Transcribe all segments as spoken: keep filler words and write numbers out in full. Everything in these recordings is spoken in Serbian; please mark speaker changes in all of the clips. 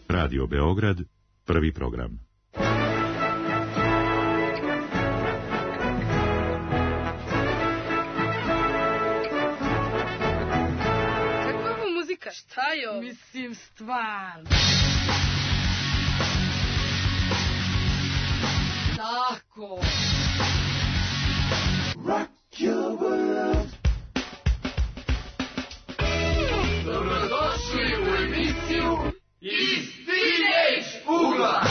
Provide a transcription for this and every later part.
Speaker 1: Radio Beograd, prvi program.
Speaker 2: Kakva je ovo muzika? Šta je ovo?
Speaker 3: Mislim, stvarno. Tako.
Speaker 4: Rock your world.
Speaker 5: Dobrodošli u emisiju Iz Teenage ugla.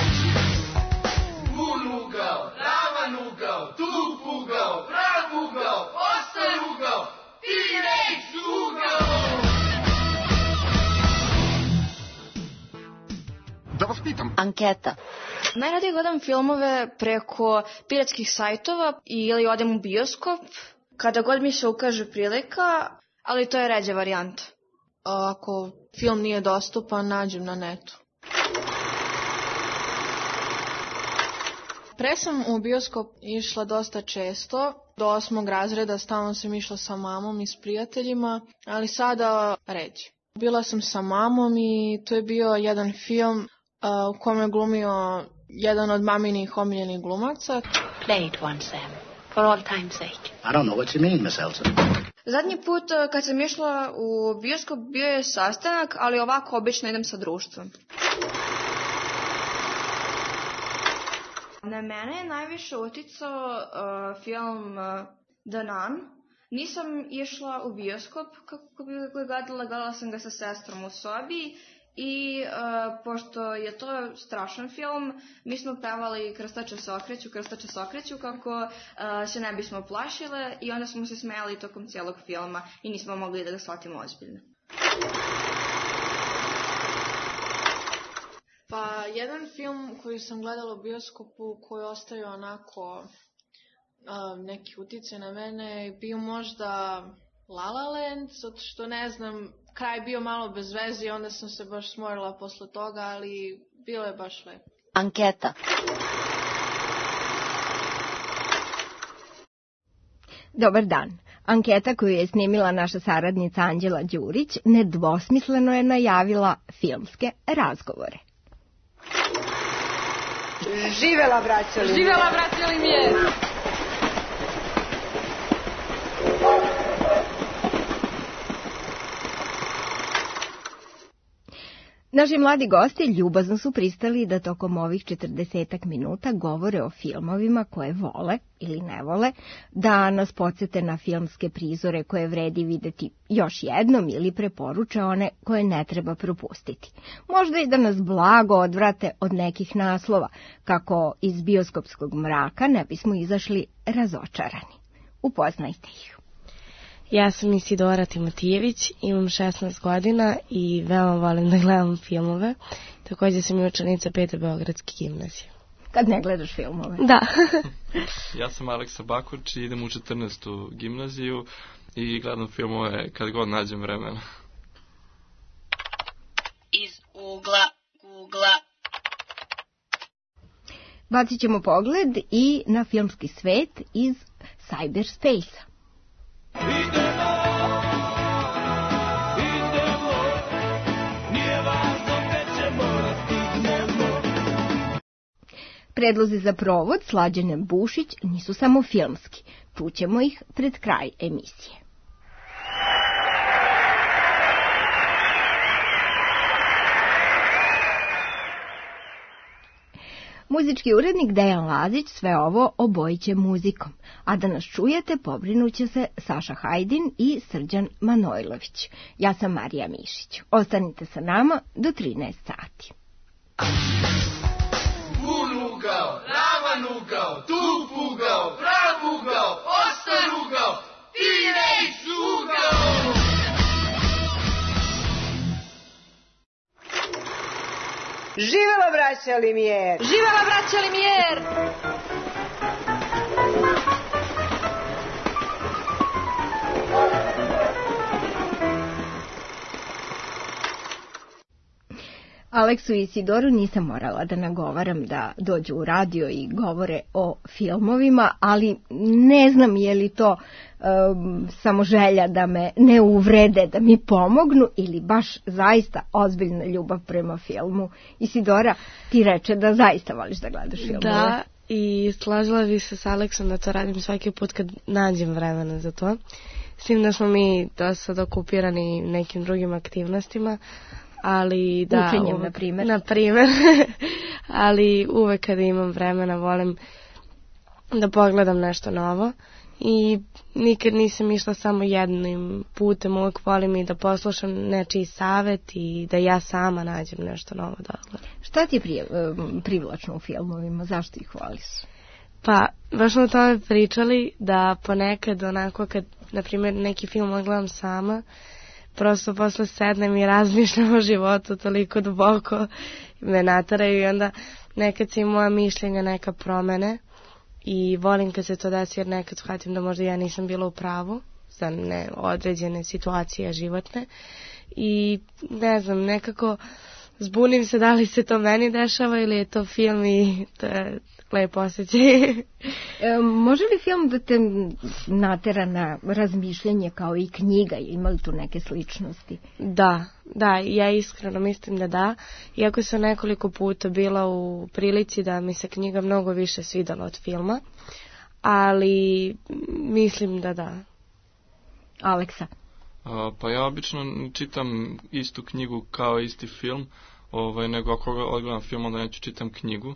Speaker 5: Bun ugao, ravan ugao, tup ugao, prav ugao, ostar ugao, Teenage ugao.
Speaker 6: Da vas pitam.
Speaker 7: Anketa.
Speaker 8: Najradije gledam filmove preko piratskih sajtova ili odem u bioskop, kada god mi se ukaže prilika, ali to je ređa varijanta.
Speaker 9: Ako film nije dostupan, nađem na netu. Pre sam u bioskop išla dosta često, do osmog razreda stalno sam išla sa mamom i s prijateljima, ali sada ređe. Bila sam sa mamom i to je bio jedan film uh, u kome je glumio jedan od maminih omiljenih glumaca.
Speaker 7: Play it once, Sam. For all time's sake.
Speaker 6: I don't know what you mean, Miss Elsa.
Speaker 8: Zadnji put uh, kad sam išla u bioskop bio je sastanak, ali ovako obično idem sa društvom. Na mene je najviše uticao uh, film uh, The Nun. Nisam išla u bioskop kako bi ga gledala, gledala sam ga sa sestrom u sobi i uh, pošto je to strašan film, mi smo pevali Krstače se okreću, Krstače se okreću kako uh, se ne bismo plašile i onda smo se smejali tokom cijelog filma i nismo mogli da ga shvatimo ozbiljno.
Speaker 9: Pa jedan film koji sam gledala u bioskopu koji ostavio onako uh, neki uticaj na mene je bio možda La La Land, zato što ne znam, kraj bio malo bez veze i onda sam se baš smorila posle toga, ali bilo je baš lepo.
Speaker 7: Anketa.
Speaker 10: Dobar dan. Anketa koju je snimila naša saradnica Anđela Đurić nedvosmisleno je najavila filmske razgovore.
Speaker 2: Živela braća Limjer! Živela braća Limjer!
Speaker 10: Naši mladi gosti ljubazno su pristali da tokom ovih četrdesetak minuta govore o filmovima koje vole ili ne vole, da nas podsjete na filmske prizore koje vredi videti još jednom ili preporuče one koje ne treba propustiti. Možda i da nas blago odvrate od nekih naslova, kako iz bioskopskog mraka ne bismo izašli razočarani. Upoznajte ih.
Speaker 11: Ja sam Isidora Timotijević, imam šesnaest godina i veoma volim da gledam filmove. Također sam i učenica Pete Beogradske gimnazije.
Speaker 10: Kad ne gledaš filmove?
Speaker 11: Da.
Speaker 12: Ja sam Aleksa Baković i idem u četrnaestu gimnaziju i gledam filmove kad god nađem vremena.
Speaker 7: Iz ugla Google-a.
Speaker 10: Bacit ćemo pogled i na filmski svet iz cyberspace-a.
Speaker 4: Idemo, idemo, nije važno gde ćemo da stignemo.
Speaker 10: Predlozi za provod Slađane Bušić nisu samo filmski. Čućemo ih pred kraj emisije. Muzički urednik Dejan Lazić sve ovo obojiće muzikom, a da nas čujete pobrinuće se Saša Hajdin i Srđan Manojlović. Ja sam Marija Mišić. Ostanite sa nama do trinaest sati.
Speaker 5: Bun ugao, ravan ugao, tup ugao, prav ugao, ostar ugao, Teenage ugao.
Speaker 2: Živela braća Limjer! Živela braća Limjer!
Speaker 10: Aleksu i Isidoru nisam morala da nagovaram da dođu u radio i govore o filmovima, ali ne znam je li to um, samo želja da me ne uvrede, da mi pomognu ili baš zaista ozbiljna ljubav prema filmu. Isidora, ti reče da zaista voliš da gledaš filmove.
Speaker 11: Da, i slažila bi se s Aleksom da to radim svaki put kad nađem vremena za to. S tim da smo mi dosta okupirani nekim drugim aktivnostima, ali da...
Speaker 10: Učenjem, na primjer.
Speaker 11: Na primjer. Ali uvek kada imam vremena volim da pogledam nešto novo i nikad nisam išla samo jednim putem, uvek volim i da poslušam nečiji savet i da ja sama nađem nešto novo da gledam.
Speaker 10: Šta ti je prije, privlačno u filmovima? Zašto ih voliš?
Speaker 11: Pa, baš smo o tome pričali da ponekad onako kad, na primjer, neki film gledam sama, prosto posle sednem i razmišljam o životu toliko duboko, me nataraju i onda nekad se i moja mišljenja neka promene i volim kad se to desi jer nekad shvatim da možda ja nisam bila u pravu za ne određene situacije životne i ne znam, nekako zbunim se da li se to meni dešava ili je to film i to je lepo osjećaj.
Speaker 10: E, može li film da te natera na razmišljanje kao i knjiga? Ima li tu neke sličnosti?
Speaker 11: Da, da, ja iskreno mislim da da. Iako sam nekoliko puta bila u prilici da mi se knjiga mnogo više svidala od filma, ali mislim da da.
Speaker 10: Aleksa?
Speaker 12: A, pa ja obično čitam istu knjigu kao isti film, ovaj, nego ako odgledam film onda neću čitam knjigu.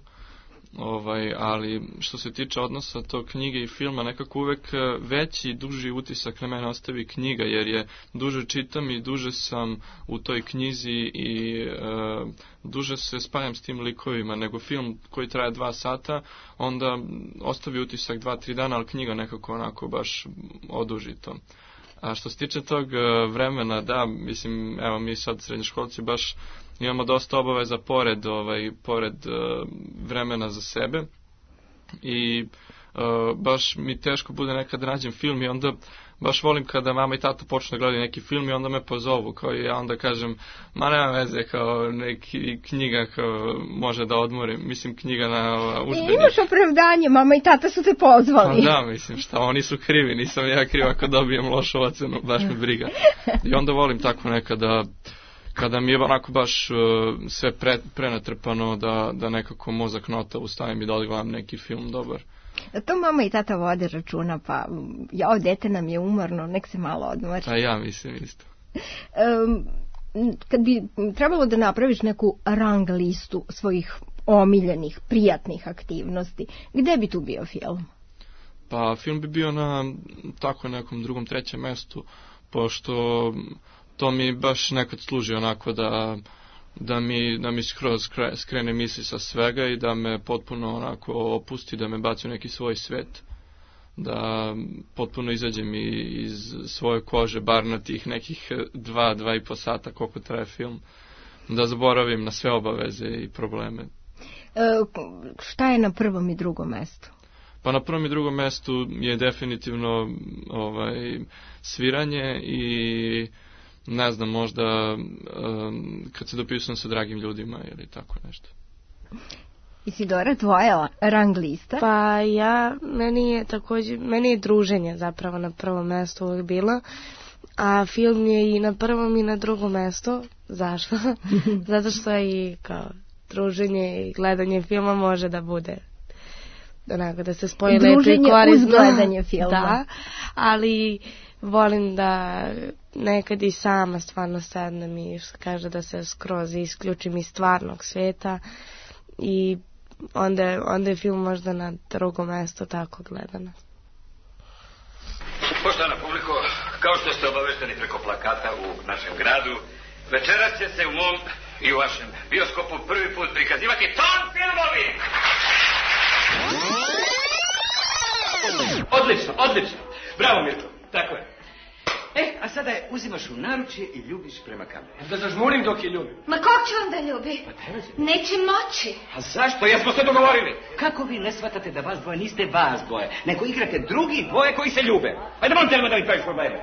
Speaker 12: Ovaj, ali što se tiče odnosa to knjige i filma, nekako uvek veći i duži utisak na mene ostavi knjiga, jer je duže čitam i duže sam u toj knjizi i e, duže se spajam s tim likovima, nego film koji traje dva sata, onda ostavi utisak dva, tri dana, ali knjiga nekako onako baš oduži to. A što se tiče tog vremena, da, mislim, evo mi sad srednjoškolci baš imamo dosta obaveza pored, ovaj, pored uh, vremena za sebe i uh, baš mi teško bude nekad nađem film i onda baš volim kada mama i tata počne gledati neki film i onda me pozovu, kao i ja onda kažem, ma nema veze, kao neki knjiga kao može da odmorim, mislim knjiga na udžbenik.
Speaker 10: E, imaš opravdanje, mama i tata su te pozvali.
Speaker 12: Pa da, mislim, šta, oni su krivi, nisam ja kriv ako dobijem lošu ocenu, baš me briga. I onda volim tako nekada, kada mi je onako baš uh, sve pre, prenatrpano da, da nekako mozak nota ustavim i da odgledam neki film dobar.
Speaker 10: To mama i tata vode računa, pa ja, dete nam je umorno, nek se malo odmori.
Speaker 12: A ja mislim isto.
Speaker 10: Um, kad bi trebalo da napraviš neku rang listu svojih omiljenih, prijatnih aktivnosti, gde bi tu bio film?
Speaker 12: Pa film bi bio na tako nekom drugom, trećem mestu, pošto to mi baš nekad služi onako da, da mi, da mi skroz skrene misli sa svega i da me potpuno onako opusti, da me baci u neki svoj svet. Da potpuno izađem iz svoje kože, bar na tih nekih dva, dva i po sata koliko traje film. Da zaboravim na sve obaveze i probleme.
Speaker 10: E, šta je na prvom i drugom mestu?
Speaker 12: Pa na prvom i drugom mestu je definitivno ovaj, sviranje i ne znam, možda um, kad se dopisujem sa dragim ljudima ili tako nešto.
Speaker 10: Isidora, tvoja rang lista?
Speaker 11: Pa ja, meni je također, meni je druženje zapravo na prvom mestu uvijek bilo, a film je i na prvom i na drugom mestu. Zašto? Zato što je i kao druženje i gledanje filma može da bude onako da se spoji lepo i korisno.
Speaker 10: Druženje uz gledanje filma.
Speaker 11: Da, ali volim da nekad i sama stvarno sednem i kaže da se skroz isključim iz stvarnog sveta i onda, onda je film možda na drugom mjestu tako gledano.
Speaker 13: Poštovana publiko, kao što ste obavešteni preko plakata u našem gradu, večeras će se u mom i u vašem bioskopu prvi put prikazivati Ton filmovi! Odlično, odlično. Bravo, Mirko. Tako je. E, a sada je uzimaš u naručje i ljubiš prema kameri.
Speaker 14: Da zažmurim dok je ljubim.
Speaker 15: Ma kako ću vam da ljubi?
Speaker 13: Pa treba će.
Speaker 15: Neće moći.
Speaker 13: A zašto? Jesmo se dogovorili. Kako vi ne shvatate da vas dvoje niste vas dvoje, nego igrate drugi dvoje koji se ljube? Ajde, molim te da mi praviš probleme.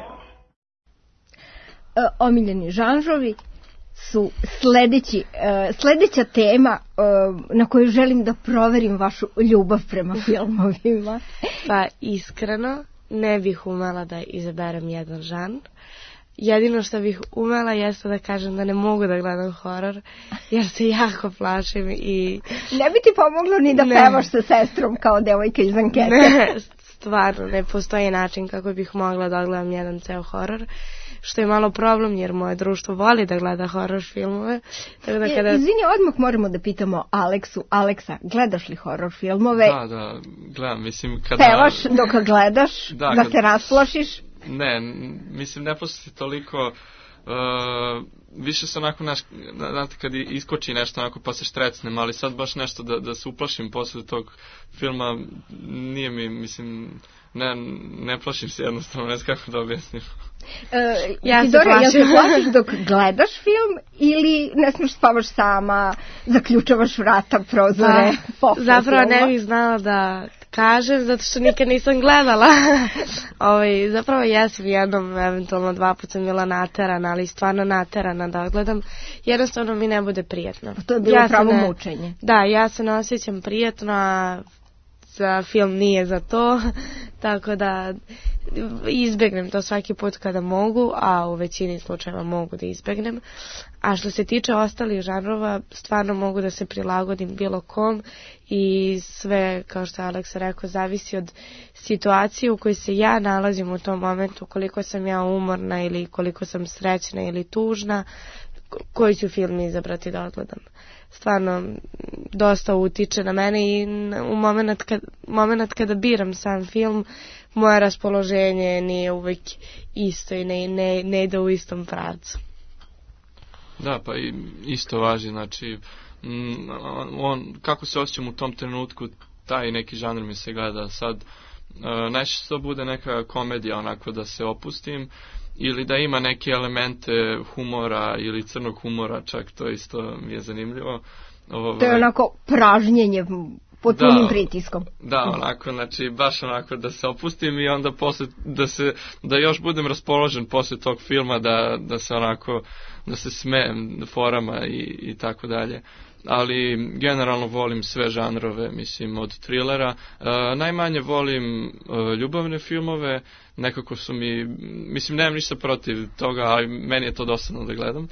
Speaker 10: E, omiljeni žanrovi, su sledeći, uh, sledeća tema uh, na koju želim da proverim vašu ljubav prema filmovima.
Speaker 11: Pa iskreno ne bih umela da izaberem jedan žanr. Jedino što bih umela jeste da kažem da ne mogu da gledam horor, jer se jako plašim i...
Speaker 10: Ne bi ti pomoglo ni da ne. Pevaš sa sestrom kao devojka iz ankete.
Speaker 11: Ne, stvarno, ne postoji način kako bih mogla da gledam jedan ceo horor, što je malo problem jer moje društvo voli da gleda horor filmove. Tako da kada...
Speaker 10: Izvini, odmah moramo da pitamo Aleksu. Aleksa, gledaš li horor filmove?
Speaker 12: Da, da, gledam, mislim kada...
Speaker 10: Pevaš dok gledaš, da, da kad... se rasplašiš?
Speaker 12: Ne, mislim, ne posle toliko, uh, više se onako, naš, znate, kad iskoči nešto onako pa se štrecnem, ali sad baš nešto da, da se uplašim posle tog filma, nije mi, mislim, ne, ne plašim se jednostavno, ne znam kako da objasnim.
Speaker 10: Uh, ja ti, Dora, ja se plašiš dok gledaš film ili ne smiješ spavaš sama, zaključavaš vrata, prozore,
Speaker 11: pa, zapravo ne bih znala da kažem, zato što nikad nisam gledala. Ovaj, zapravo jesam jednom, eventualno dva puta sam bila naterana, ali stvarno naterana da gledam. Jednostavno mi ne bude prijatno.
Speaker 10: To je bilo ja pravo ne, mučenje.
Speaker 11: Da, ja se ne osjećam prijatno, a za film nije za to, tako da izbegnem to svaki put kada mogu, a u većini slučajeva mogu da izbegnem. A što se tiče ostalih žanrova, stvarno mogu da se prilagodim bilo kom i sve, kao što je Aleksa rekao, zavisi od situacije u kojoj se ja nalazim u tom momentu, koliko sam ja umorna ili koliko sam srećna ili tužna, koji ću film izabrati da odgledam. Stvarno, dosta utiče na mene i u moment, kad, moment kada biram sam film, moje raspoloženje nije uvek isto i ne, ne, ne ide u istom pravcu.
Speaker 12: Da, pa i isto važi, znači, on, kako se osjećam u tom trenutku, taj neki žanr mi se gleda sad. Uh, najčešće to bude neka komedija, onako da se opustim, ili da ima neke elemente humora ili crnog humora, čak to isto mi je zanimljivo. Ovo,
Speaker 10: to je onako pražnjenje pod punim da, pritiskom.
Speaker 12: Da, onako, znači baš onako da se opustim i onda posle, da se, da još budem raspoložen posle tog filma, da, da se onako, da se smejem forama i, i tako dalje. Ali generalno volim sve žanrove, mislim, od trilera. E, najmanje volim e, ljubavne filmove, nekako su mi, mislim, nemam ništa protiv toga, ali meni je to dosadno da gledam.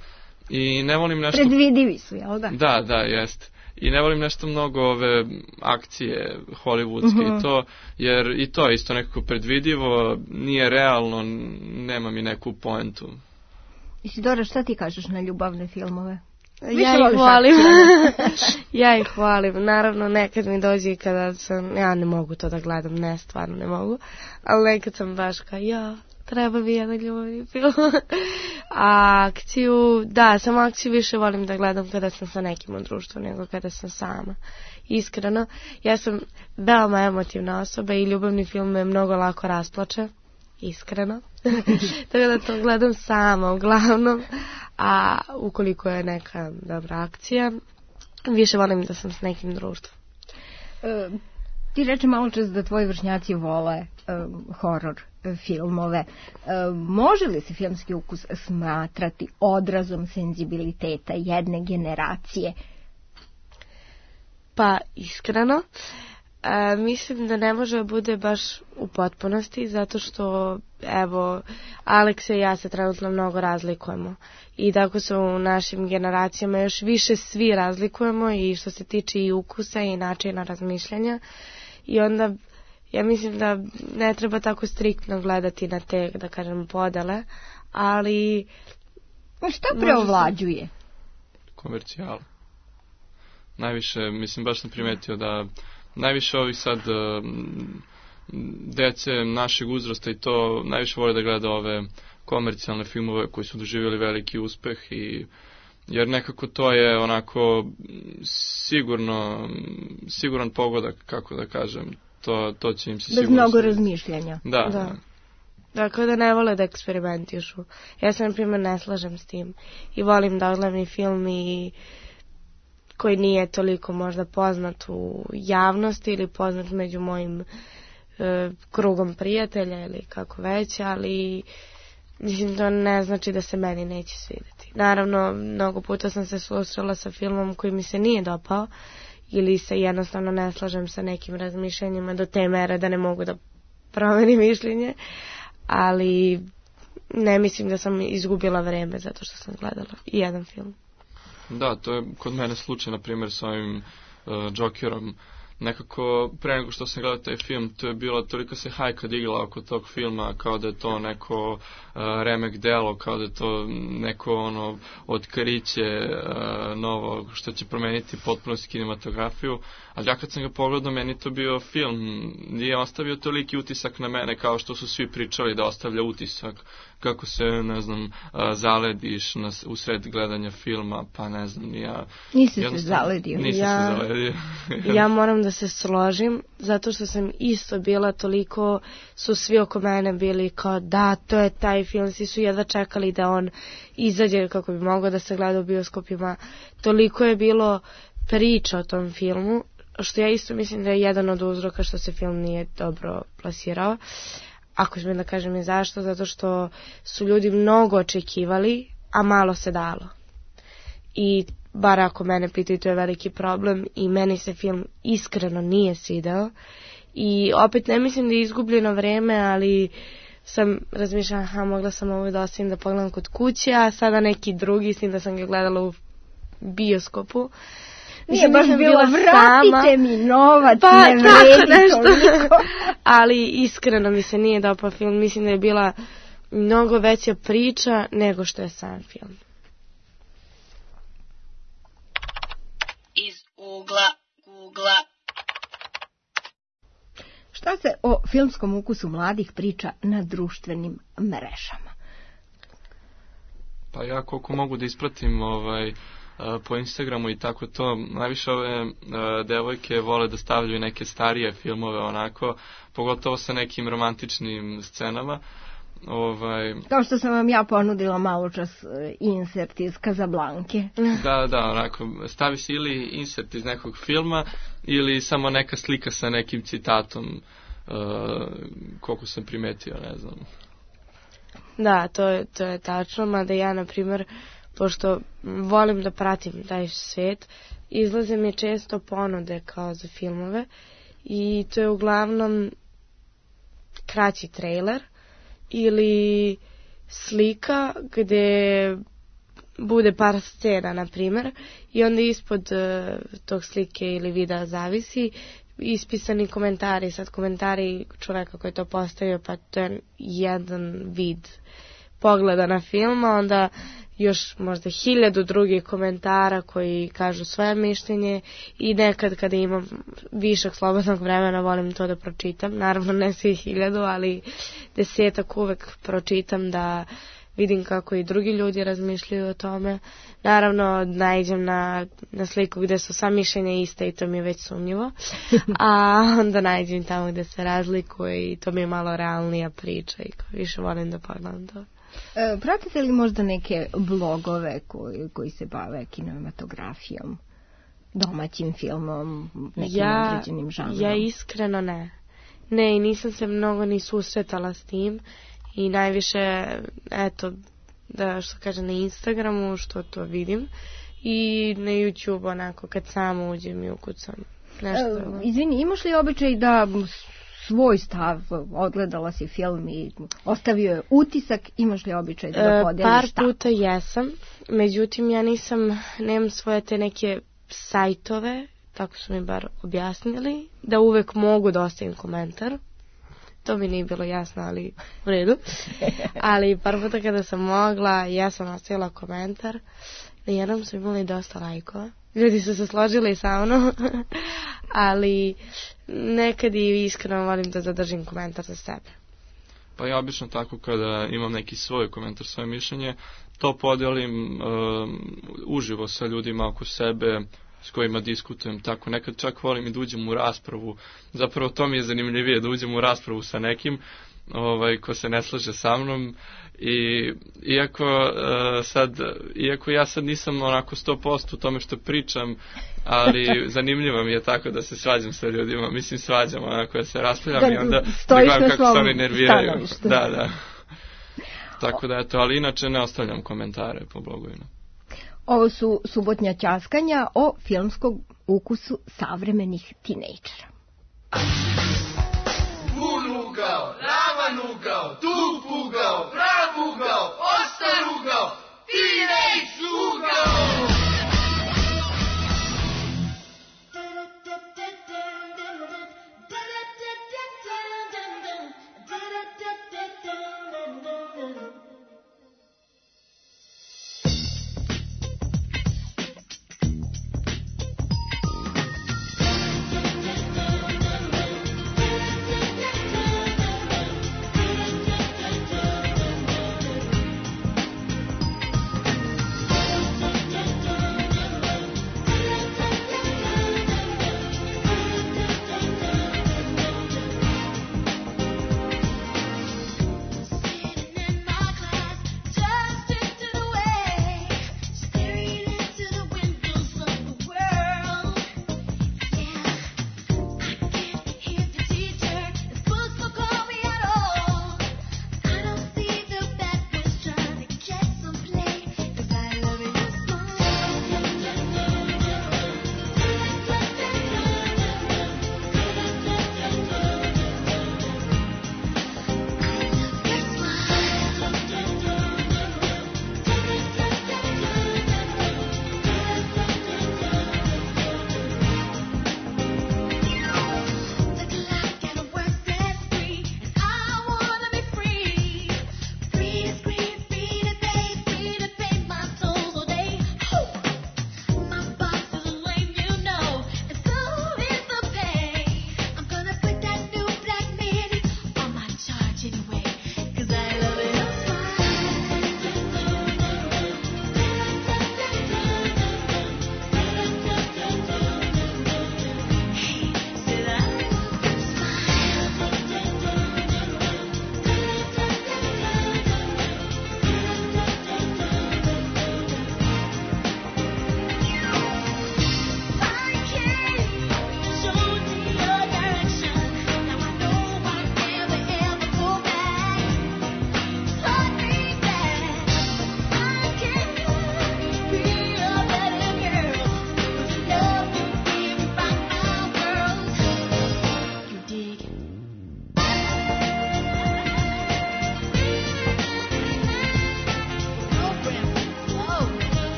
Speaker 12: I ne volim nešto...
Speaker 10: Predvidivi su, jel da?
Speaker 12: Da, da, jest. I ne volim nešto mnogo ove akcije hollywoodske uh-huh. i to, jer i to je isto nekako predvidivo, nije realno, nema mi neku poentu.
Speaker 10: Isidora, šta ti kažeš na ljubavne filmove?
Speaker 11: Ja ih volim. ja ih volim. Naravno, nekad mi dođe i kada sam, ja ne mogu to da gledam, ne, stvarno ne mogu, ali nekad sam baš kao, ja, treba mi jedan ljubavni film. A akciju, da, samo akciju više volim da gledam kada sam sa nekim u društvu nego kada sam sama. Iskreno, ja sam veoma emotivna osoba i ljubavni film me mnogo lako rasplače. Iskreno. Tako da to gledam sama uglavnom, a ukoliko je neka dobra akcija, više volim da sam s nekim društvom.
Speaker 10: E, ti reče malo čas da tvoji vršnjaci vole e, horor e, filmove. E, može li se filmski ukus smatrati odrazom senzibiliteta jedne generacije?
Speaker 11: Pa iskreno, E, mislim da ne može da bude baš u potpunosti, zato što, evo, Aleksa i ja se trenutno mnogo razlikujemo i tako se u našim generacijama još više svi razlikujemo i što se tiče i ukusa i načina razmišljanja i onda ja mislim da ne treba tako striktno gledati na te, da kažem, podele, ali...
Speaker 10: Šta preovlađuje?
Speaker 12: Komercijal. Najviše, mislim, baš sam primetio da najviše ovih sad dece našeg uzrasta i to najviše vole da gleda ove komercijalne filmove koji su doživjeli veliki uspeh i jer nekako to je onako sigurno siguran pogodak, kako da kažem, to, to će im se sigurno...
Speaker 10: Bez mnogo razmišljanja.
Speaker 12: Da,
Speaker 11: da.
Speaker 12: da.
Speaker 11: Dakle, da ne vole da eksperimentišu. Ja se, na primjer, ne slažem s tim i volim da odgledam film i koji nije toliko možda poznat u javnosti ili poznat među mojim e, krugom prijatelja ili kako već, ali mislim, to ne znači da se meni neće svidjeti. Naravno, mnogo puta sam se susrela sa filmom koji mi se nije dopao ili se jednostavno ne slažem sa nekim razmišljenjima do te mere da ne mogu da promenim mišljenje, ali ne mislim da sam izgubila vreme zato što sam gledala jedan film.
Speaker 12: Da, to je kod mene slučaj, na primjer, sa ovim uh, Jokerom. Nekako, pre nego što sam gledao taj film, to je bilo, toliko se hajka digla oko tog filma, kao da je to neko uh, remek delo, kao da je to neko ono otkriće uh, novo, što će promeniti potpuno kinematografiju. Ali ja kad sam ga pogledao, meni to bio film, nije ostavio toliki utisak na mene, kao što su svi pričali da ostavlja utisak, kako se, ne znam, uh, zalediš na, u sred gledanja filma, pa ne znam, ja...
Speaker 10: Nisi se zaledio.
Speaker 12: Nisam
Speaker 11: ja,
Speaker 12: se zaledio.
Speaker 11: Ja moram da se složim, zato što sam isto bila toliko, su svi oko mene bili kao da, to je taj film, svi su jedva čekali da on izađe kako bi mogao da se gleda u bioskopima. Toliko je bilo priča o tom filmu, što ja isto mislim da je jedan od uzroka što se film nije dobro plasirao. Ako smijem da kažem i zašto, zato što su ljudi mnogo očekivali, a malo se dalo. I bar ako mene pitaju, to je veliki problem i meni se film iskreno nije svidao. I opet ne mislim da je izgubljeno vreme, ali sam razmišljala, aha, mogla sam ovo da ostavim da pogledam kod kuće, a sada neki drugi, s tim da sam ga gledala u bioskopu.
Speaker 10: Nije baš bilo, vratite mi novac,
Speaker 11: pa,
Speaker 10: ne vredi toliko.
Speaker 11: Ali iskreno mi se nije dopao film, mislim da je bila mnogo veća priča nego što je sam film.
Speaker 7: Iz ugla Googla.
Speaker 10: Šta se o filmskom ukusu mladih priča na društvenim mrežama?
Speaker 12: Pa ja koliko mogu da ispratim ovaj, po Instagramu i tako to, najviše ove devojke vole da stavljaju neke starije filmove onako, pogotovo sa nekim romantičnim scenama. Ovaj...
Speaker 10: Kao što sam vam ja ponudila malo čas insert iz Kazablanke.
Speaker 12: Da, da, onako, stavi se ili insert iz nekog filma ili samo neka slika sa nekim citatom, uh, koliko sam primetio, ne znam.
Speaker 11: Da, to je, to je tačno, mada ja, na primjer, pošto volim da pratim taj svijet, izlaze mi često ponude kao za filmove i to je uglavnom kraći trailer ili slika gdje bude par scena, na primjer, i onda ispod uh, tog slike ili videa zavisi ispisani komentari, sad komentari čoveka koji je to postavio, pa to je jedan vid pogleda na film, a onda još možda hiljadu drugih komentara koji kažu svoje mišljenje i nekad kada imam višak slobodnog vremena volim to da pročitam, naravno ne svi hiljadu, ali desetak uvek pročitam da vidim kako i drugi ljudi razmišljaju o tome. Naravno naiđem na, na sliku gdje su sva mišljenja iste i to mi je već sumnjivo, a onda naiđem tamo gdje se razlikuje i to mi je malo realnija priča i više volim da pogledam to.
Speaker 10: E, pratite li možda neke blogove koji, koji se bave kinematografijom, domaćim filmom, nekim
Speaker 11: ja,
Speaker 10: određenim žanrom?
Speaker 11: Ja iskreno ne. Ne, nisam se mnogo ni susretala s tim i najviše, eto, da što kaže na Instagramu, što to vidim, i na YouTube onako kad samo uđem i ukucam nešto.
Speaker 10: E, izvini, imaš li običaj da svoj stav, odgledala si film i ostavio je utisak, imaš li običaj da ga podeliš?
Speaker 11: Par puta jesam, međutim ja nisam, nemam svoje te neke sajtove, tako su mi bar objasnili, da uvek mogu da ostavim komentar. To mi nije bilo jasno, ali u redu. Ali par puta kada sam mogla, ja sam ostavila komentar. Na jednom su imali dosta lajkova. Ljudi su se složili sa mnom. Ali nekad i iskreno volim da zadržim komentar za sebe.
Speaker 12: Pa ja obično tako kada imam neki svoj komentar, svoje mišljenje, to podelim uh, uživo sa ljudima oko sebe, s kojima diskutujem, tako nekad čak volim i da uđem u raspravu, zapravo to mi je zanimljivije, da uđem u raspravu sa nekim ovaj, ko se ne slaže sa mnom i iako, uh, sad, iako ja sad nisam onako sto posto u tome što pričam, ali zanimljivo mi je tako da se svađam sa ljudima, mislim svađam onako da se raspravljam da, i onda da gledam kako se oni nerviraju. Da, da. Tako da, eto, ali inače ne ostavljam komentare po blogovima.
Speaker 10: Ovo su subotnja ćaskanja o filmskom ukusu savremenih tinejdžera.
Speaker 5: Pun ugao, ravan ugao, tup ugao, prav ugao, ostar ugao, tinejdž ugao!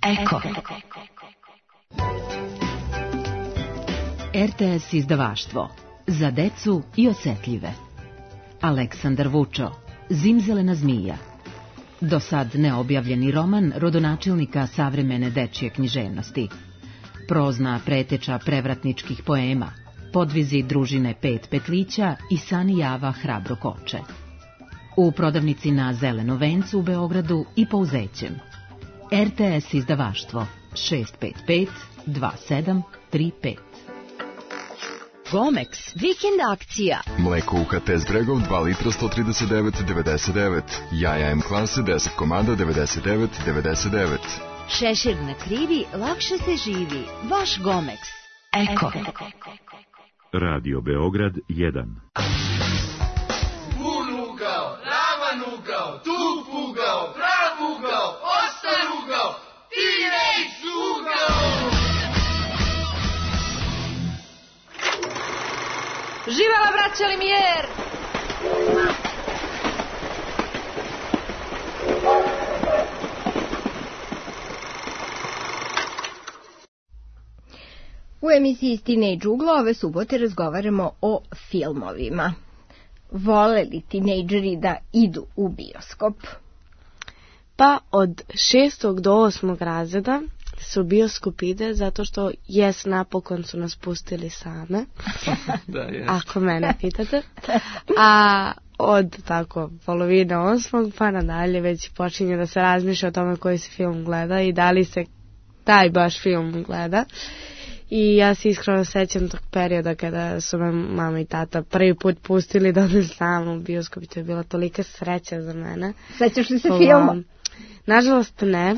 Speaker 14: Eko. R T S izdavaštvo za decu i osetljive. Aleksandar Vučo, Zimzelena zmija. Do sad neobjavljeni roman rodonačelnika savremene dečje književnosti. Prozna preteča prevratničkih poema, podvizi družine Pet petlića i Sani Java Hrabro koče. U prodavnici na Zelenom vencu u Beogradu i Pouzećem. R T S izdavaštvo šest pet pet dva sedam tri pet.
Speaker 16: Gomex, vikend akcija.
Speaker 17: Mleko U H T Zbregov dva litra sto trideset devet devedeset devet. Jaja M klase deset komada devedeset devet devedeset devet.
Speaker 16: Šešir na krivi, lakše se živi. Vaš Gomex.
Speaker 14: Eko.
Speaker 1: Radio Beograd jedan.
Speaker 5: Bun ugao, ravan ugao, tup ugao, prav ugao, ostar ugao, T-Rex ugao!
Speaker 2: Živela braća Limijer!
Speaker 10: U emisiji Teenage uglo ove subote razgovaramo o filmovima. Vole li tinejdžeri da idu u bioskop?
Speaker 11: Pa od šestog do osmog razreda se u bioskop ide zato što jes napokon su nas pustili same.
Speaker 12: Da, jes.
Speaker 11: Ako mene pitate. A od tako polovine osmog pa nadalje već počinje da se razmišlja o tome koji se film gleda i da li se taj baš film gleda. I ja se iskreno sećam tog perioda kada su me mama i tata prvi put pustili da odem sama u bioskop i to je bila tolika sreća za mene.
Speaker 10: Sećaš li se filma?
Speaker 11: Nažalost ne.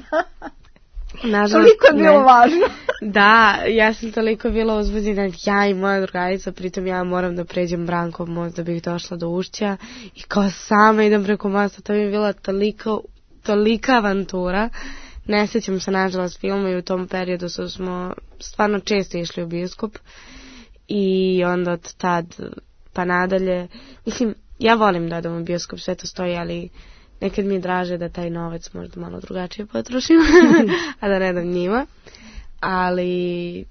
Speaker 11: Nažalost,
Speaker 10: toliko je bilo ne. Važno.
Speaker 11: Da, ja sam toliko bila uzbuđena, ja i moja drugarica, pritom ja moram da pređem Brankov most da bih došla do Ušća i kao sama idem preko mosta, to mi je bila toliko, tolika avantura. Ne sjećam se nažalost filma i u tom periodu su smo stvarno često išli u bioskop i onda od tad pa nadalje, mislim, ja volim da odem u bioskop, sve to stoji, ali nekad mi je draže da taj novac možda malo drugačije potrošim, a da ne dam njima, ali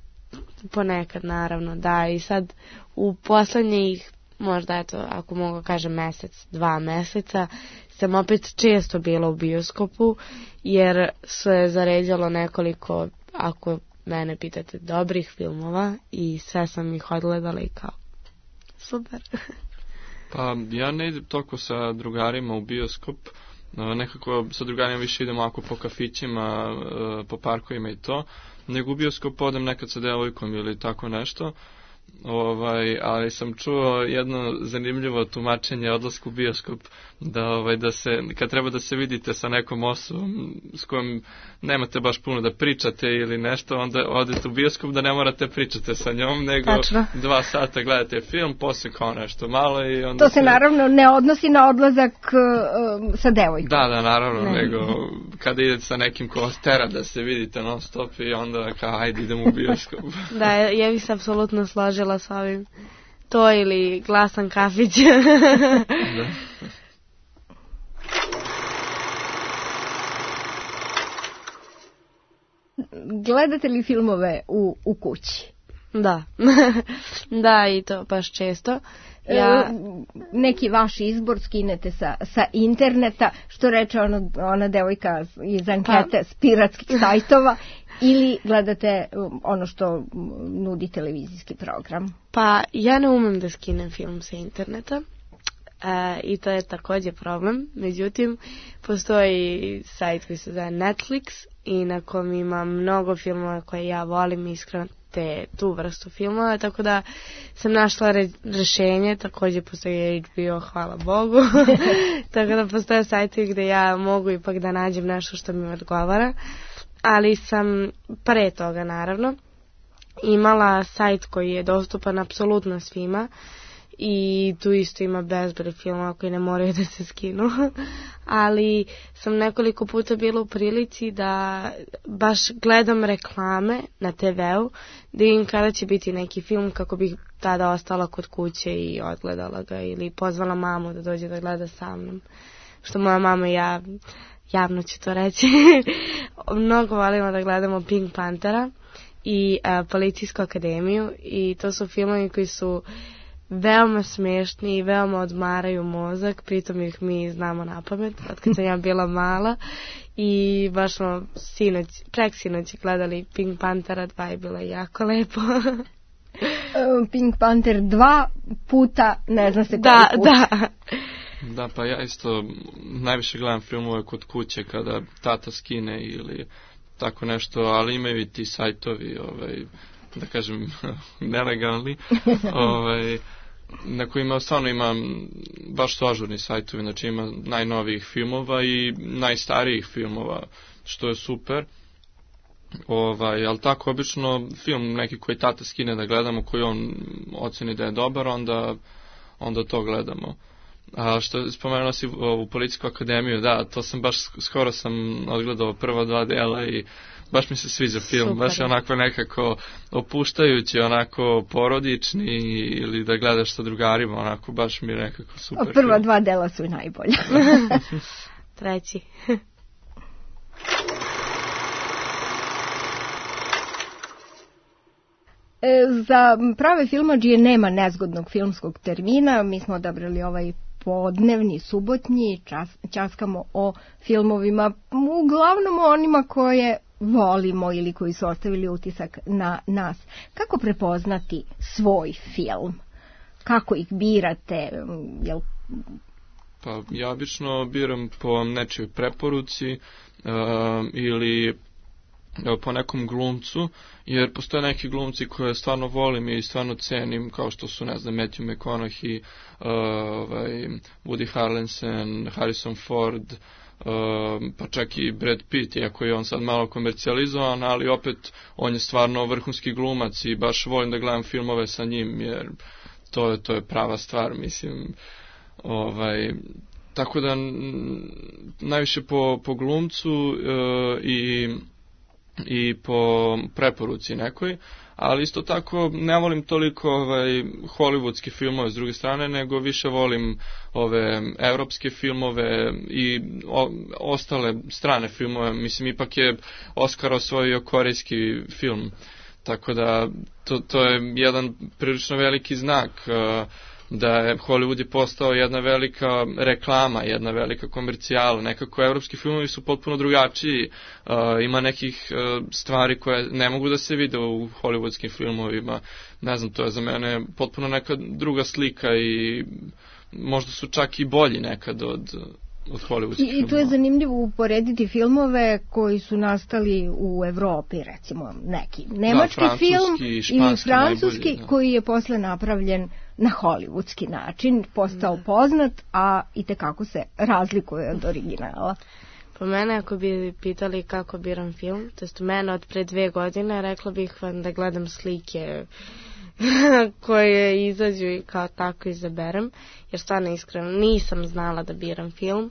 Speaker 11: ponekad naravno, da, i sad u poslednjih, možda eto, ako mogu kažem mesec, dva meseca, sam opet često bila u bioskopu, jer se zaređalo nekoliko, ako mene pitate, dobrih filmova i sve sam ih odgledala i kao, super.
Speaker 12: Pa ja ne idem toliko sa drugarima u bioskop, nekako sa drugarima više idem ako po kafićima, po parkovima i to, nego u bioskop odem nekad sa devojkom ili tako nešto. Ovaj, ali sam čuo jedno zanimljivo tumačenje odlasku u bioskop, da, ovaj, da se, kad treba da se vidite sa nekom osobom s kojom nemate baš puno da pričate ili nešto, onda odete u bioskop da ne morate pričate sa njom, nego Tačno. dva sata gledate film, posle kao nešto malo i onda...
Speaker 10: To se, se naravno ne odnosi na odlazak uh, sa devojkom.
Speaker 12: Da, da, naravno, ne. Nego kada idete sa nekim ko vas tera da se vidite non stop i onda kao, ajde idemo u bioskop.
Speaker 11: Da, ja bih se apsolutno složila s ovim. To ili glasan kafić. Da.
Speaker 10: Gledate li filmove u, u kući?
Speaker 11: Da. Da, i to baš često. Ja...
Speaker 10: Neki vaš izbor skinete sa, sa interneta, što reče ono, ona devojka iz ankete pa... s piratskih sajtova, ili gledate ono što nudi televizijski program?
Speaker 11: Pa ja ne umem da skinem film sa interneta. E, i to je također problem. Međutim, postoji sajt koji se zove Netflix i na kom ima mnogo filmova koje ja volim iskreno te, tu vrstu filmova, tako da sam našla re, rešenje, također postoji H B O, hvala Bogu, tako da postoje sajti gdje ja mogu ipak da nađem nešto što mi odgovara, ali sam pre toga naravno imala sajt koji je dostupan apsolutno svima i tu isto ima bezbroj filmova koji ne moraju da se skinu, ali sam nekoliko puta bila u prilici da baš gledam reklame na te veu, da vidim kada će biti neki film kako bih tada ostala kod kuće i odgledala ga ili pozvala mamu da dođe da gleda sa mnom, što moja mama i ja, javno ću to reći, mnogo volimo da gledamo Pink Panthera i a, Policijsku akademiju i to su filmovi koji su veoma smiješni i veoma odmaraju mozak, pritom ih mi znamo na pamet od kad sam ja bila mala i baš smo sinoć, prek sinoć gledali Pink Panthera dva i bilo jako lepo.
Speaker 10: Pink Panther dva puta, ne zna se koji
Speaker 11: da,
Speaker 10: put.
Speaker 11: Da,
Speaker 12: da, pa ja isto najviše gledam filmove kod kuće kada tata skine ili tako nešto, ali imaju i ti sajtovi, ovaj, da kažem, nelegalni, ovaj, na kojima stvarno ima, baš su ažurni sajtovi, znači ima najnovijih filmova i najstarijih filmova, što je super. Ovaj, ali tako, obično film neki koji tata skine da gledamo, koji on oceni da je dobar, onda, onda to gledamo. A što spomenuo si ovu Policijsku akademiju, da, to sam baš, skoro sam odgledao prva dva dela i baš mi se sviđa film, super. Baš je onako nekako opuštajući, onako porodični ili da gledaš sa drugarima, onako baš mi je nekako super.
Speaker 10: A prva film. Dva dela su najbolja.
Speaker 11: Treći.
Speaker 10: Za prave filmadžije nema nezgodnog filmskog termina, mi smo odabrali ovaj podnevni, subotnji, čas, časkamo o filmovima, uglavnom onima koje volimo ili koji su ostavili utisak na nas. Kako prepoznati svoj film? Kako ih birate? Jel...
Speaker 12: Pa ja obično biram po nečijoj preporuci uh, ili po nekom glumcu, jer postoje neki glumci koje stvarno volim i stvarno cenim, kao što su, ne znam, Matthew McConaughey, uh, ovaj, Woody Harrelson, Harrison Ford, uh, pa čak i Brad Pitt, iako je on sad malo komercijalizovan, ali opet on je stvarno vrhunski glumac i baš volim da gledam filmove sa njim, jer to je, to je prava stvar, mislim, ovaj... Tako da najviše po, po glumcu uh, i i po preporuci nekoj, ali isto tako ne volim toliko ovaj, hollywoodske filmove s druge strane, nego više volim ove evropske filmove i o, ostale strane filmove. Mislim, ipak je Oscar osvojio korejski film, tako da to, to je jedan prilično veliki znak uh, da je Hollywood je postao jedna velika reklama, jedna velika komercijala. Nekako evropski filmovi su potpuno drugačiji. Uh, ima nekih uh, stvari koje ne mogu da se vide u hollywoodskim filmovima. Ne znam, to je za mene potpuno neka druga slika i možda su čak i bolji nekad od, od hollywoodskih filmova.
Speaker 10: I tu je zanimljivo uporediti filmove koji su nastali u Evropi, recimo neki nemački da, film i francuski najbolji, koji je posle napravljen na hollywoodski način, postao da. poznat, a itekako se razlikuje od originala.
Speaker 11: Po mene, ako bi pitali kako biram film, to jest mene od pre dve godine, rekla bih vam da gledam slike koje izađu i kao tako izaberem, jer stvarno iskreno nisam znala da biram film.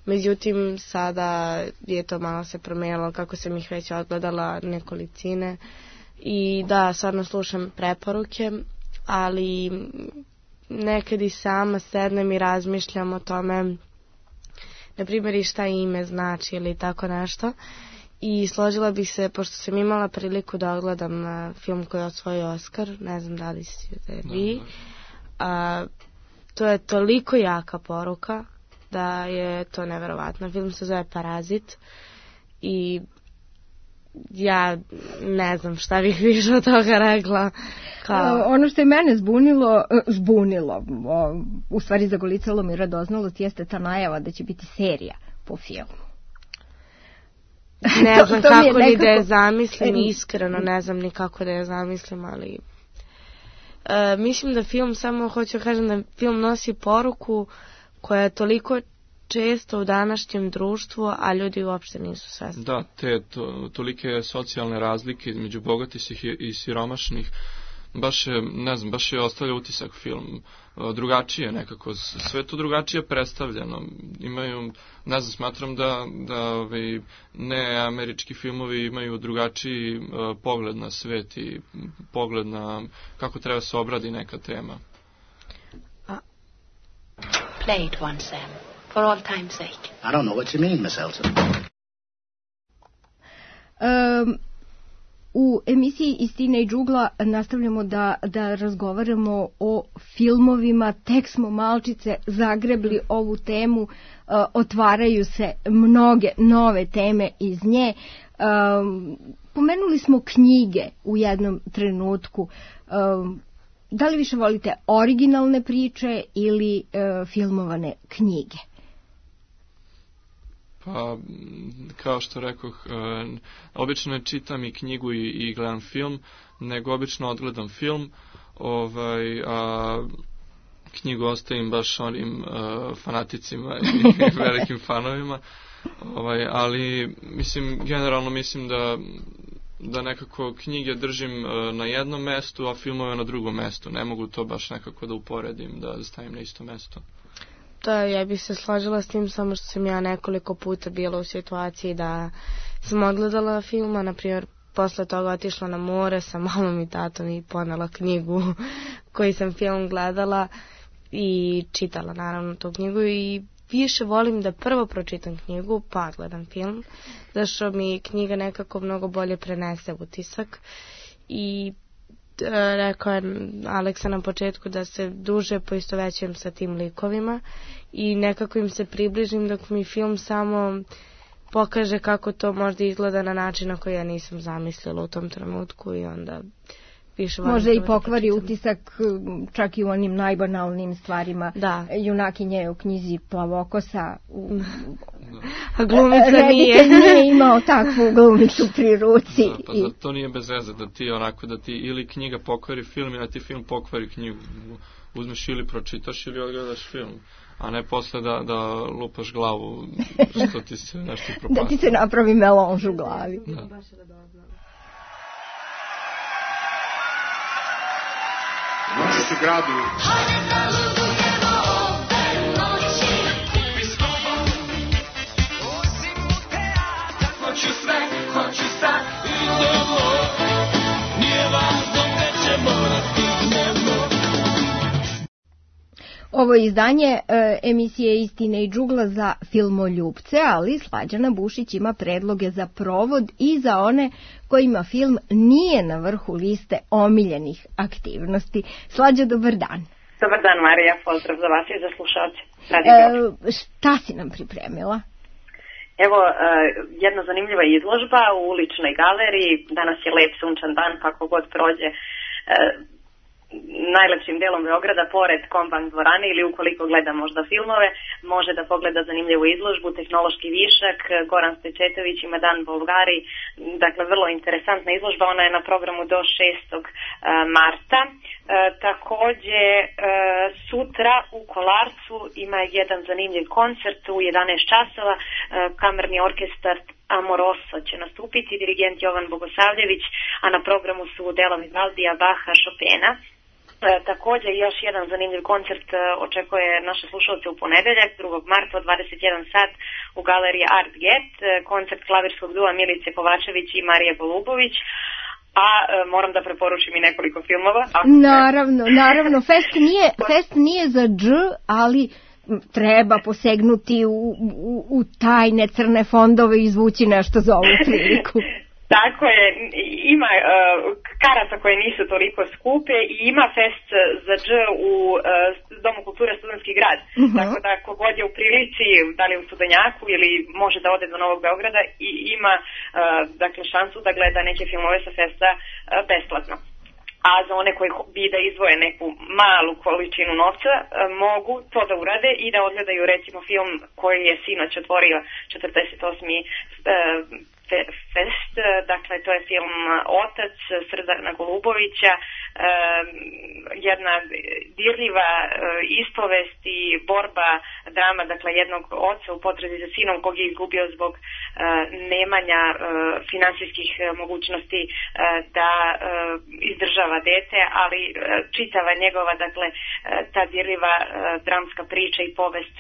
Speaker 11: Međutim, sada je to malo se promijenilo kako sam ih već odgledala nekolicine i da, stvarno slušam preporuke, ali nekad i sama sednem i razmišljam o tome, na primjer, i šta ime znači ili tako nešto. I složila bih se, pošto sam imala priliku da ogledam film koji je osvojio Oscar, ne znam da li si da je vi, a, to je toliko jaka poruka da je to neverovatno. Film se zove Parazit i ja ne znam šta bih više od toga rekla. Kao...
Speaker 10: Ono što je mene zbunilo, zbunilo, u stvari zagolicalo mi radoznalost, jeste ta najava da će biti serija po filmu.
Speaker 11: Ne znam to, to kako ni da je zamislim, iskreno ne znam ni kako da je zamislim, ali e, mislim da film, samo hoću kažem da film nosi poruku koja je toliko često u današnjem društvu, a ljudi uopšte nisu svesni.
Speaker 12: Da, te to, tolike socijalne razlike između bogatih i siromašnih, baš je, ne znam, baš je ostavlja utisak film. Drugačije nekako, sve to drugačije predstavljeno. Imaju, ne znam, smatram da, da ovaj, ne američki filmovi imaju drugačiji uh, pogled na svet i pogled na kako treba se obradi neka tema.
Speaker 15: Uh, play it once, Sam, for all time's sake.
Speaker 6: I don't know what you mean, Miss Elton.
Speaker 10: Um, U emisiji Istina i džugla nastavljamo da, da razgovaramo o filmovima, tek smo malčice zagrebli ovu temu, uh, otvaraju se mnoge nove teme iz nje. Um, pomenuli smo knjige u jednom trenutku. Um, da li više volite originalne priče ili uh, filmovane knjige?
Speaker 12: Pa, kao što rekoh, e, obično ne čitam i knjigu i, i gledam film, nego obično odgledam film, ovaj, a knjigu ostavim baš onim e, fanaticima i velikim fanovima, ovaj, ali mislim, generalno mislim da da nekako knjige držim na jednom mestu, a filmove na drugom mestu. Ne mogu to baš nekako da uporedim, da stavim na isto mesto.
Speaker 11: Da, ja bih se složila s tim, samo što sam ja nekoliko puta bila u situaciji da sam odgledala filma, na primjer posle toga otišla na more sa mamom i tatom i ponela knjigu koji sam film gledala i čitala naravno tu knjigu i više volim da prvo pročitam knjigu pa gledam film, zašto mi knjiga nekako mnogo bolje prenese utisak i e, rekao je Aleksa na početku da se duže poistovećujem sa tim likovima i nekako im se približim dok mi film samo pokaže kako to možda izgleda na način na koji ja nisam zamislila u tom trenutku i onda više volim.
Speaker 10: Može i pokvari utisak čak i u onim najbanalnim stvarima.
Speaker 11: Da.
Speaker 10: Junakinja je u knjizi Plavokosa. U...
Speaker 11: A glumica nije.
Speaker 10: Reditelj nije imao takvu glumicu pri ruci.
Speaker 12: Da, pa I... to nije bez veze da ti onako da ti ili knjiga pokvari film ili da ti film pokvari knjigu. Uzmeš ili pročitaš ili odgledaš film. A ne posle da, da lupaš glavu što ti se nešto propasti.
Speaker 10: Da ti se napravi melonž u glavi.
Speaker 12: Da.
Speaker 16: Noćas u gradu.
Speaker 4: Hoću sve, hoću sad. Idemo, nije važno gde ćemo da stignemo.
Speaker 10: Ovo je izdanje e, emisije Istine i džugla za filmoljupce, ali Slađana Bušić ima predloge za provod i za one kojima film nije na vrhu liste omiljenih aktivnosti. Slađa, dobar dan.
Speaker 18: Dobar dan, Marija, pozdrav za vas i za slušalce.
Speaker 10: E, šta si nam pripremila?
Speaker 18: Evo, e, jedna zanimljiva izložba u uličnoj galeriji. Danas je lep sunčan dan, pa kogod prođe e, najlepšim delom Beograda, pored Kombank dvorane ili ukoliko gleda možda filmove, može da pogleda zanimljivu izložbu, tehnološki višak, Goran Stojčetović ima Dan Bolgari, dakle vrlo interesantna izložba, ona je na programu do šestog marta. E, takođe, e, sutra u Kolarcu ima jedan zanimljiv koncert u jedanaest časova, e, kamerni orkestar Amoroso će nastupiti, dirigent Jovan Bogosavljević, a na programu su dela Vivaldija, Baha, Chopina. E, takođe još jedan zanimljiv koncert e, očekuje naše slušalce u ponedeljak, drugog marta od dvadeset jedan sat u galeriji Art Get, e, koncert klavirskog dua Milice Kovačević i Marije Golubović. A e, moram da preporučim i nekoliko filmova.
Speaker 10: Naravno, naravno, fest nije, fest nije za dž, ali treba posegnuti u, u, u tajne crne fondove i izvući nešto za ovu priliku.
Speaker 18: Tako je, ima uh, karata koje nisu toliko skupe i ima fest za dž u uh, Domu kulture Studentski grad. Uh-huh. Tako da kogod je u prilici, da li u Studenjaku ili može da ode do Novog Beograda i ima uh, dakle šansu da gleda neke filmove sa festa uh, besplatno. A za one koji bi da izvoje neku malu količinu novca, mogu to da urade i da odgledaju recimo film koji je sinoć otvorio četrdeset osmi fest, dakle to je film Otac Srdana Golubovića, jedna dirljiva ispovest i borba, drama, dakle jednog oca u potrazi za sinom kog je izgubio zbog nemanja finansijskih mogućnosti da izdržava dete, ali čitava njegova, dakle ta dirljiva dramska priča i povest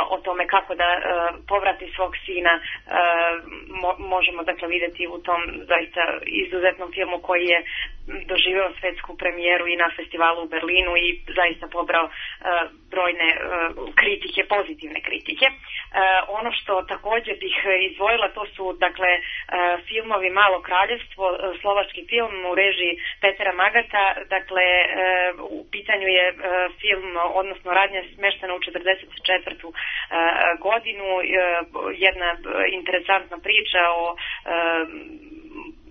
Speaker 18: o tome kako da uh, povrati svog sina uh, mo, možemo dakle vidjeti u tom zaista izuzetnom filmu koji je doživeo svetsku premijeru i na festivalu u Berlinu i zaista pobrao uh, brojne uh, kritike, pozitivne kritike. Uh, ono što također bih izdvojila, to su dakle uh, filmovi Malo kraljevstvo, uh, slovački film u režiji Petera Magata, dakle uh, u pitanju je uh, film, odnosno radnja smeštena u četrdeset četvrtu godinu, jedna interesantna priča o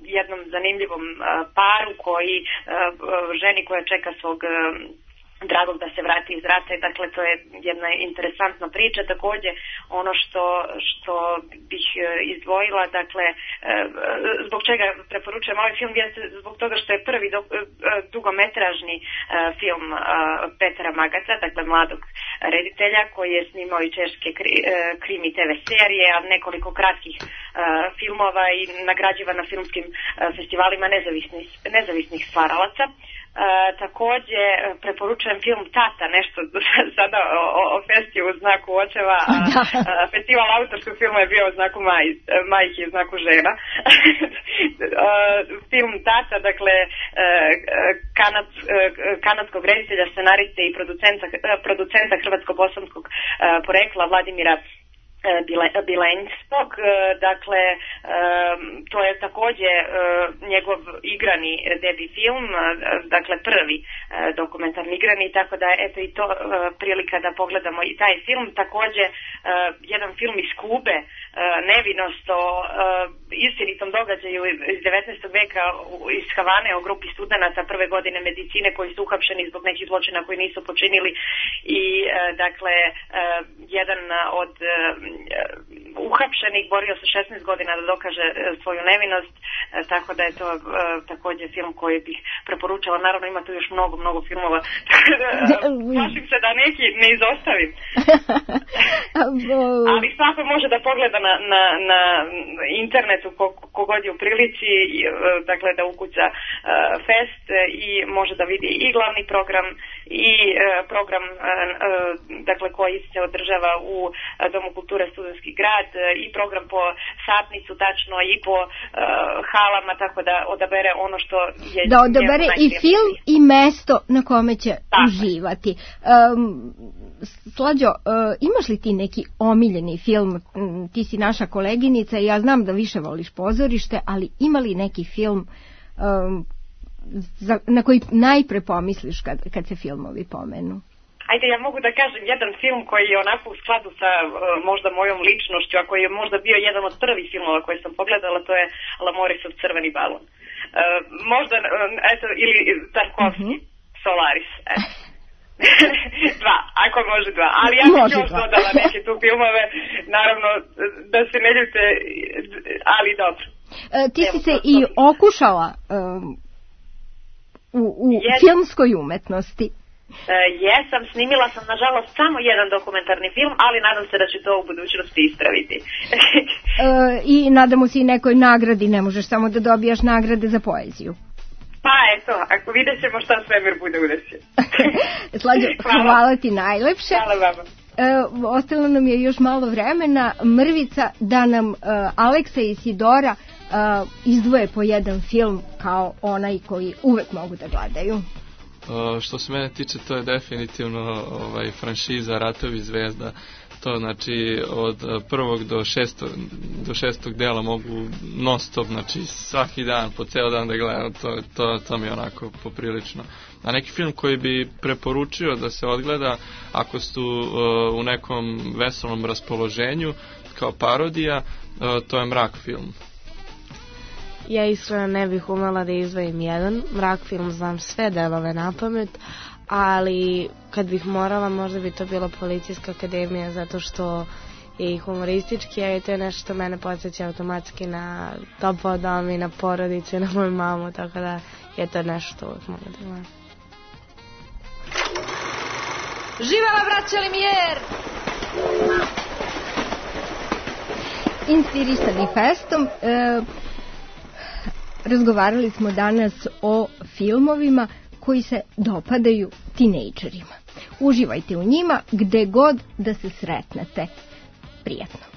Speaker 18: jednom zanimljivom paru koji, ženi koja čeka svog dragog da se vrati iz rata i dakle to je jedna interesantna priča. Također ono što, što bih izdvojila, dakle zbog čega preporučujem ovaj film jeste zbog toga što je prvi do, dugometražni film Petra Magata, dakle mladog reditelja koji je snimao i češke kri, krimi te ve serije, a nekoliko kratkih filmova i nagrađivan na filmskim festivalima nezavisnih, nezavisnih stvaralaca. Uh, također preporučujem film Tata, nešto sada o, o, o festiju u znaku očeva, a, a festival autorskog filma je bio u znaku maj, majke i u znaku žena. uh, film Tata, dakle uh, kanad, uh, kanadskog reditelja, scenariste i producenta, producenta hrvatsko-bosanskog uh, porekla Vladimira Bilenskog, dakle to je također njegov igrani debi film, dakle prvi dokumentarni igrani, tako da eto i to prilika da pogledamo i taj film. Također jedan film iz Kube, Nevinost, o istinitom događaju iz devetnaestog veka iz Havane o grupi studenata prve godine medicine koji su uhapšeni zbog nekih zločina koji nisu počinili i dakle jedan od uhapšenih borio se šesnaest godina da dokaže svoju nevinost, tako da je to također film koji bih preporučala. Naravno ima tu još mnogo, mnogo filmova, plašim se da neki ne izostavim. Ali svako može da pogleda na, na, na internetu kogod je u prilici, dakle da ukuca Fest i može da vidi i glavni program i program dakle koji se održava u Domu kulture Studentski grad i program po satnicu tačno i po uh, halama, tako da odabere ono što je...
Speaker 10: Da odabere i film i mesto na kome će tako uživati. Um, Slađo, uh, imaš li ti neki omiljeni film? Ti si naša koleginica i ja znam da više voliš pozorište, ali ima li neki film um, za, na koji najpre pomisliš kad, kad se filmovi pomenu?
Speaker 18: Ajde, ja mogu da kažem jedan film koji je onako u skladu sa uh, možda mojom ličnošću, a koji je možda bio jedan od prvih filmova koje sam pogledala, to je Lamorisov Crveni balon. Uh, možda, uh, eto, ili Tarkovski, mm-hmm. Solaris, eto. dva, ako može dva, ali ja bih još dodala neke tu filmove, naravno da se ne ljute, ali dobro.
Speaker 10: Uh, ti si se i okušala um, u, u filmskoj umetnosti.
Speaker 18: Uh, jesam, snimila sam nažalost samo jedan dokumentarni film, ali nadam se da će to u budućnosti ispraviti.
Speaker 10: uh, I nadamo se i nekoj nagradi, ne možeš samo da dobijaš nagrade za poeziju.
Speaker 18: Pa eto, ako vidjet ćemo šta svemir bude udesio.
Speaker 10: Slađo, hvala. Hvala ti najlepše.
Speaker 18: Hvala vama.
Speaker 10: Uh, ostalo nam je još malo vremena, mrvica, da nam uh, Aleksa i Sidora uh, izdvoje po jedan film kao onaj koji uvek mogu da gledaju.
Speaker 12: Uh, što se mene tiče, to je definitivno ovaj, franšiza Ratovi zvezda. To znači od prvog do šestog, do šestog dela mogu non stop, znači svaki dan, po ceo dan da gledam, to, to, to mi je onako poprilično. A neki film koji bi preporučio da se odgleda ako su uh, u nekom veselom raspoloženju, kao parodija, uh, to je Mrak film.
Speaker 11: Ja iskreno ne bih umela da izdvojim jedan. Mrak film znam sve delove na pamet, ali kad bih morala možda bi to bila Policijska akademija, zato što je i humoristički, a to je nešto što mene podsjeća automatski na Topao dom i na porodicu i na moju mamu, tako da je to nešto što uvijek mogu da gledam.
Speaker 2: Živela braća Limijer!
Speaker 10: Inspirisani festom, e, razgovarali smo danas o filmovima koji se dopadaju tinejdžerima. Uživajte u njima gde god da se sretnete. Prijatno.